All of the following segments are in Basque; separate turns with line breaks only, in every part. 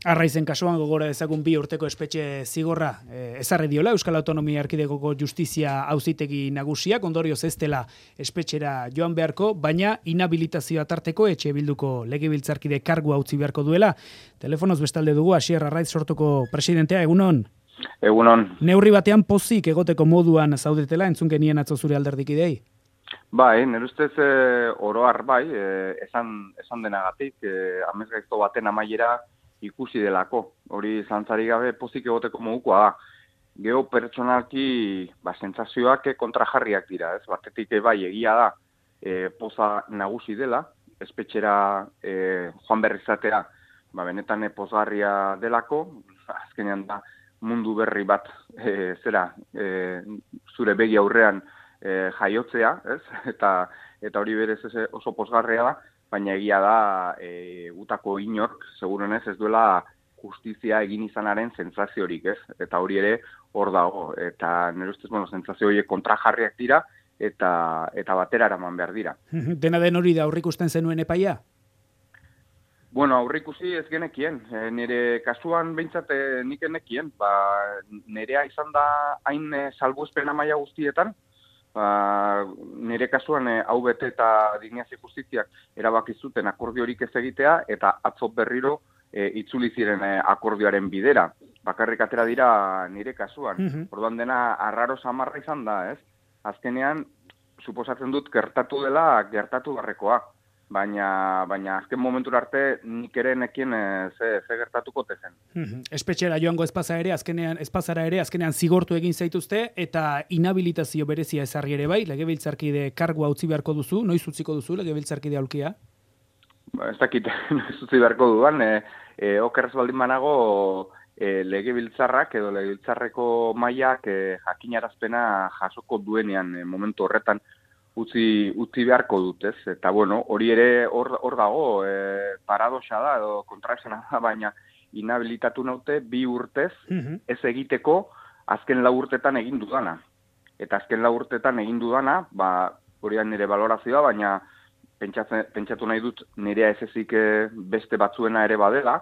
Arraizen kasuan gogora dezagun 2 urteko espetxe zigorra ezarri diola Euskal Autonomia Erkidegoko Justizia Auzitegi Nagusiak, ondorioz ez dela espetxera joan beharko, baina inhabilitazioa tarteko etxe bilduko legebiltzarkide kargua utzi beharko duela. Telefonoz bestalde dugu Asier Arraiz sortuko presidentea, egunon?
Egunon.
Neurri batean pozik egoteko moduan zaudetela entzun genien atzo zure alderdikidei?
Bai, nire ustez oroar bai, esan denagatik, amesgaizto baten amaiera ikusi delako. Hori zantzari gabe pozik egoteko modukoa da. Geo pertsonalki sentsazioak kontrajarriak dira, ez? Batetik bai egia da poza nagusi dela, espetxera joan berri izatea, benetan pozgarria delako, azkenean da mundu berri bat zure begi aurrean jaiotzea, ez? Eta hori berez oso pozgarria da, baina egia da utako inork, segurenez ez duela justizia egin izanaren sentsaziorik, ez? Eta hori ere hor dago, eta nire ustez, sentsazio horiek kontrajarriak dira, eta batera eraman behar dira.
Dena den hori da aurrikusten zenuen epaia?
Aurrikusi ez genekien, nire kasuan behintzat nik enekien, nirea izan da hain salbuespen maila guztietan, nire kasuan hau bete eta Dignazio Justiziak erabaki zuten akordiorik ez egitea, eta atzo berriro itzuli ziren akordioaren bidera. Bakarrik atera dira nire kasuan. Orduan dena arraro samarra izan da, ez? Azkenean, suposatzen dut gertatu dela gertatu barrekoa. Baina azken momentura arte nik ere nekien ze gertatuko tezen.
Espetxera joango espazara ere azkenean zigortu egin zaituzte eta inhabilitazio berezia ezarri ere bai, legebiltzarkide kargua utzi beharko duzu, noiz utziko duzu legebiltzarkide aulkia?
Ez dakit, noiz utzi beharko duan, okerrez baldin banago legebiltzarrak edo legebiltzarreko mailak jakinarazpena jasoko duenean momentu horretan utzi beharko dut, ez? Eta hori ere hor dago, paradoxa da, edo kontraesena da, baina inhabilitatu naute 2 urtez ez egiteko azken 4 urtetan egin dudana. Eta azken 4 urtetan egin dudana, hori da nire valorazioa, baina pentsatu nahi dut nirea ez ezik beste batzuena ere badela,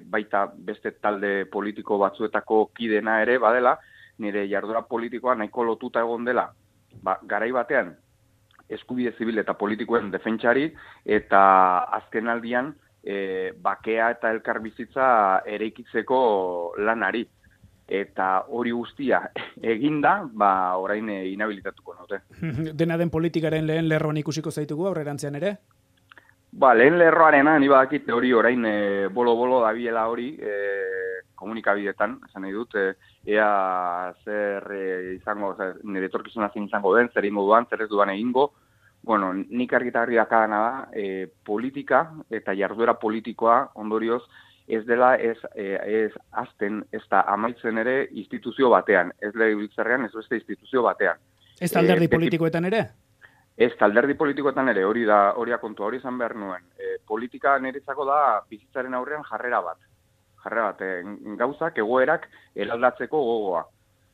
baita beste talde politiko batzuetako kidena ere badela, nire jarduera politikoa nahiko lotuta egon dela, garai batean, eskubide zibil eta politikoen defentsari, eta azken aldian bakea eta elkarbizitza eraikitzeko lanari. Eta hori guztia eginda, orain inhabilitatuko naute.
Dena den politikaren lehen lerroan ikusiko zaitugu aurrerantzean ere?
Lehen lerroarena, ni badakit hori orain bolo-bolo dabiela hori komunikabidetan, esan nahi dut, ea zer izango, nire etorkizuna zein izango den, zer ingo duan, zer ez duan egingo. Nik argitarri dakadana da, politika eta jarduera politikoa ondorioz ez dela ez azten, ez da amaitzen ere instituzio batean, ez legebiltzarrean, ez beste instituzio batean.
Ez alderdi politikoetan ere?
Ez alderdi politikoetan ere, hori da kontua, hori izan behar nuen. Politika niretzako da bizitzaren aurrean jarrera bat, gauzak, egoerak eraldatzeko gogoa.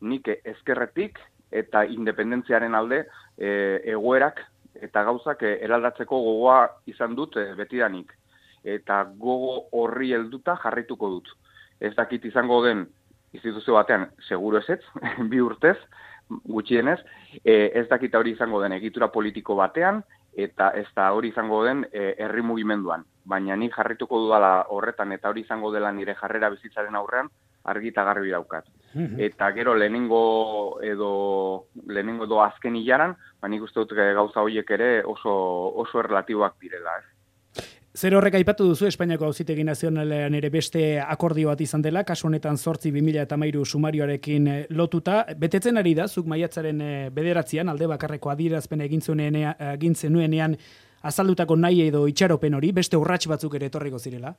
Nik ezkerretik eta independentziaren alde egoerak eta gauzak eraldatzeko gogoa izan dut betidanik. Eta gogo horri helduta jarraituko dut. Ez dakit izango den instituzio batean, seguru ezetz, 2 urtez, gutxienez, ez dakit hori izango den egitura politiko batean, eta ez da hori izango den herri mugimenduan. Baina nik jarrituko dudala horretan, eta hori izango dela nire jarrera bizitzaren aurrean, argi eta garbi daukat. Eta gero lehenengo edo azken hilaran, nik uste dut gauza horiek ere oso erlatiboak direla, ez?
Zer horrek aipatu duzu Espainiako Auzitegi Nazionalean ere beste akordio bat izan dela, kasu honetan 8/2013 sumarioarekin lotuta. Betetzen ari da, zuk maiatzaren 9 alde bakarreko adierazpena egin zenuenean azaldutako nahi edo itxaropen hori, beste urrats batzuk ere etorriko zirela?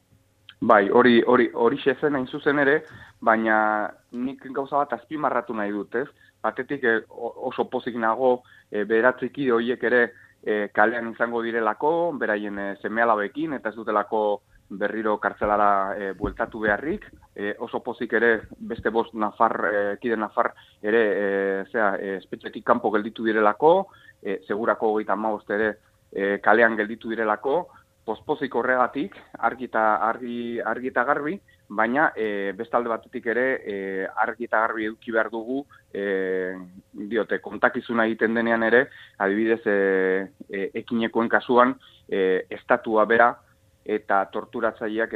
Bai, hori xezen hain zuzen ere, baina nik gauza bat azpimarratu nahi dut, ez? Batetik oso pozik nago bederatziki horiek ere kalean izango direlako, beraien seme-alabekin, eta ez dutelako berriro kartzelara bueltatu beharrik. Oso pozik ere beste 5 kide nafar ere espetxetik kanpo gelditu direlako, segurako 35 ere kalean gelditu direlako, pospozik horregatik, argi eta garbi, baina bestalde batetik ere argi eta garbi eduki behar dugu, kontakizuna egiten denean ere, adibidez ekinekoen kasuan, estatua bera eta torturatzaileak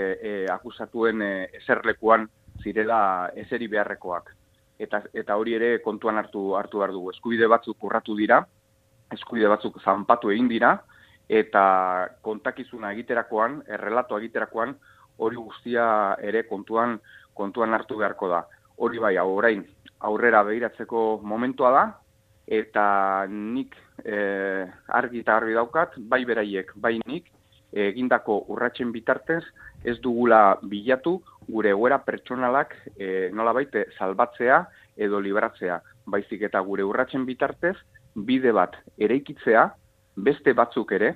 akusatuen eserlekuan zirela eseri beharrekoak. Eta hori ere kontuan hartu behar dugu. Eskubide batzuk urratu dira, eskubide batzuk zanpatu egin dira, eta kontakizuna egiterakoan, errelato egiterakoan, hori guztia ere kontuan hartu beharko da. Hori bai, orain aurrera begiratzeko momentua da, eta nik argi eta garbi daukat, bai beraiek, bai nik, egindako urratsen bitartez, ez dugula bilatu gure egoera pertsonalak nolabait salbatzea edo libratzea. Baizik eta gure urratsen bitartez, bide bat eraikitzea, beste batzuk ere,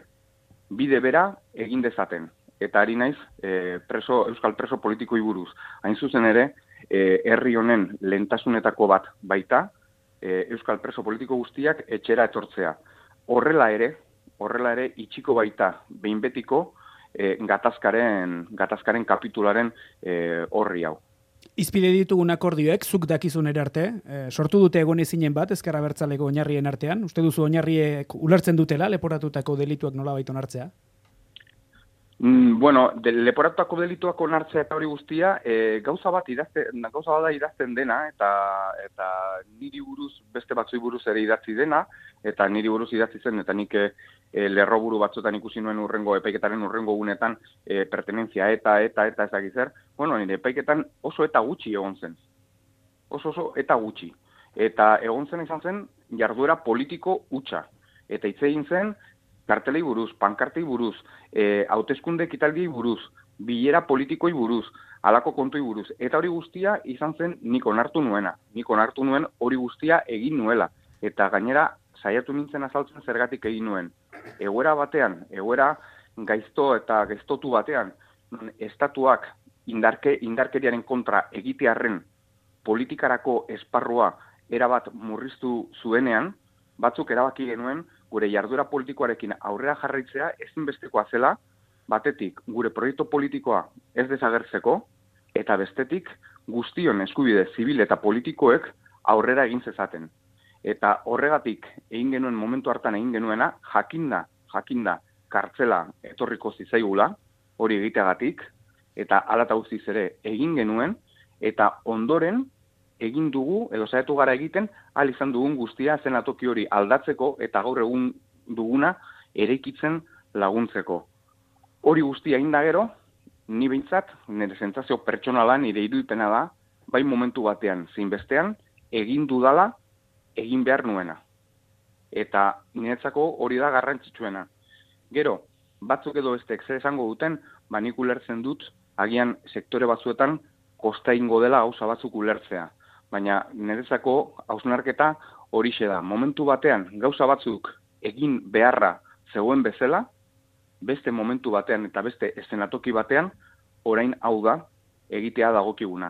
bide bera egin dezaten. Eta ari naiz, euskal preso politikoi buruz. Hain zuzen ere, herri honen lehentasunetako bat baita, euskal preso politiko guztiak etxera etortzea. Horrela ere itxiko baita behin betiko gatazkaren kapitularen horri hau.
Izpide ditugun akordioek, zuk dakizun ere arte, sortu dute egon ezinen bat, ezker abertzaleko oinarrien artean. Uste duzu oinarriek ulertzen dutela, leporatutako delituak nolabait onartzea?
Leporatutako delituak onartzea eta hori guztia, gauza bada idazten dena, eta niri buruz, beste batzui buruz ere idatzi dena, eta niri buruz idatzi zen, eta nik lerroburu batzuetan ikusi nuen epaiketaren urrengo gunetan pertenentzia eta ezagizer, nire epaiketan oso eta gutxi egon zen. Oso eta gutxi. Eta egon zen izan zen jarduera politiko hutsa. Eta hitz egin zen kartelei buruz, pankartei buruz, hauteskunde ekitaldiei buruz, bilera politikoi buruz, halako kontoi buruz. Eta hori guztia izan zen nik onartu nuena. Nik onartu nuen hori guztia egin nuela. Eta gainera saiatu nintzen azaltzen zergatik egin nuen. Egoera batean, egoera gaizto eta gaiztotu batean, estatuak indarkeriaren kontra egitearren politikarako esparrua erabat murriztu zuenean, batzuk erabaki genuen gure jarduera politikoarekin aurrera jarraitzea ezinbestekoa zela, batetik gure proiektu politikoa ez desagertzeko, eta bestetik guztion eskubide zibil eta politikoek aurrera egin zezaten. Eta horregatik egin genuen momentu hartan egin genuena, jakinda kartzela etorriko zitzaigula, hori egiteagatik, eta hala eta guztiz ere egin genuen, eta ondoren egin dugu, edo saiatu gara egiten, ahal izan dugun guztia zenatoki hori aldatzeko eta gaur egun duguna eraikitzen laguntzeko. Hori guztia egin da gero, ni behintzat, nire sentsazio pertsonala, nire irudipena da, bai momentu batean, zein bestean, egin dudala, egin behar nuena. Eta niretzako hori da garrantzitsuena. Gero, batzuk edo bestek zer esango duten, nik ulertzen dut, agian sektore batzuetan kosta ingo dela gauza batzuk ulertzea. Baina niretzako hausnarketa horixe da. Momentu batean gauza batzuk egin beharra zegoen bezala, beste momentu batean eta beste eszenatoki batean, orain hau da egitea dagokiguna.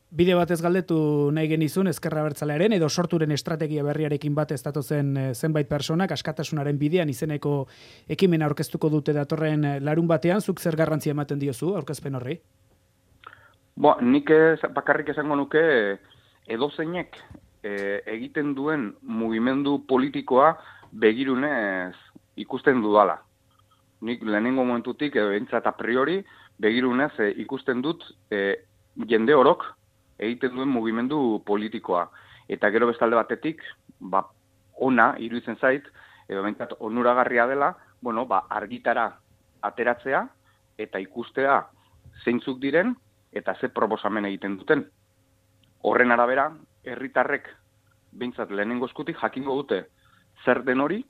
Bide batez galdetu nahi genizun Ezker Abertzalearen edo sorturen estrategia berriarekin bat ez datozen zenbait personak askatasunaren bidean izeneko ekimena aurkeztuko dute datorren larun batean, zuk zer garrantzia ematen diozu aurkezpen horri?
Nik bakarrik esango nuke edozeinek egiten duen mugimendu politikoa begirunez ikusten dudala. Nik lehenengo momentutik, behintzat a priori, begirunez ikusten dut jende orok egiten duen mugimendu politikoa. Eta gero bestalde batetik, ona iruditzen zait, edo behintzat onuragarria dela, argitara ateratzea eta ikustea zeintzuk diren eta ze proposamen egiten duten. Horren arabera, herritarrek behintzat lehenengo eskutik jakingo dute zer den hori,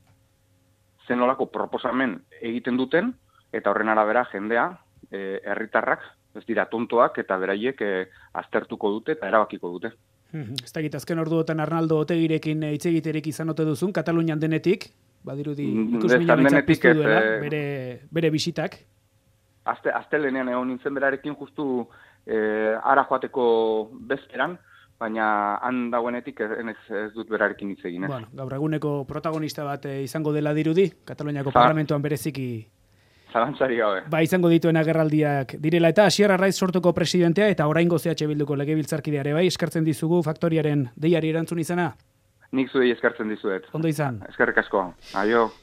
zenolako proposamen egiten duten, eta horren arabera jendea, herritarrak, ez dira tontoak, eta beraiek aztertuko dute eta erabakiko dute.
Ez dakit, azken orduotan Arnaldo Otegirekin hitz egiterik izan ote duzun, Katalunian denetik, badirudi ikusmina behintzat piztu duela, bere bisitak.
Astelehenean egon nintzen berarekin justu ara joateko bezperan, baina han dagoenetik ez dut berarekin hitz egin.
Gaur eguneko protagonista bat izango dela dirudi, Kataluniako parlamentuan bereziki
Zalantzari gabe.
Ba, izango dituen agerraldiak direla eta Asier Arraiz sortuko presidentea eta oraingo CH Bilduko legebiltzarkidea ere bai, eskertzen dizugu Faktoriaren deiari erantzun izana.
Nik zuei eskertzen dizuet.
Ondo izan.
Eskerrik asko. Aio.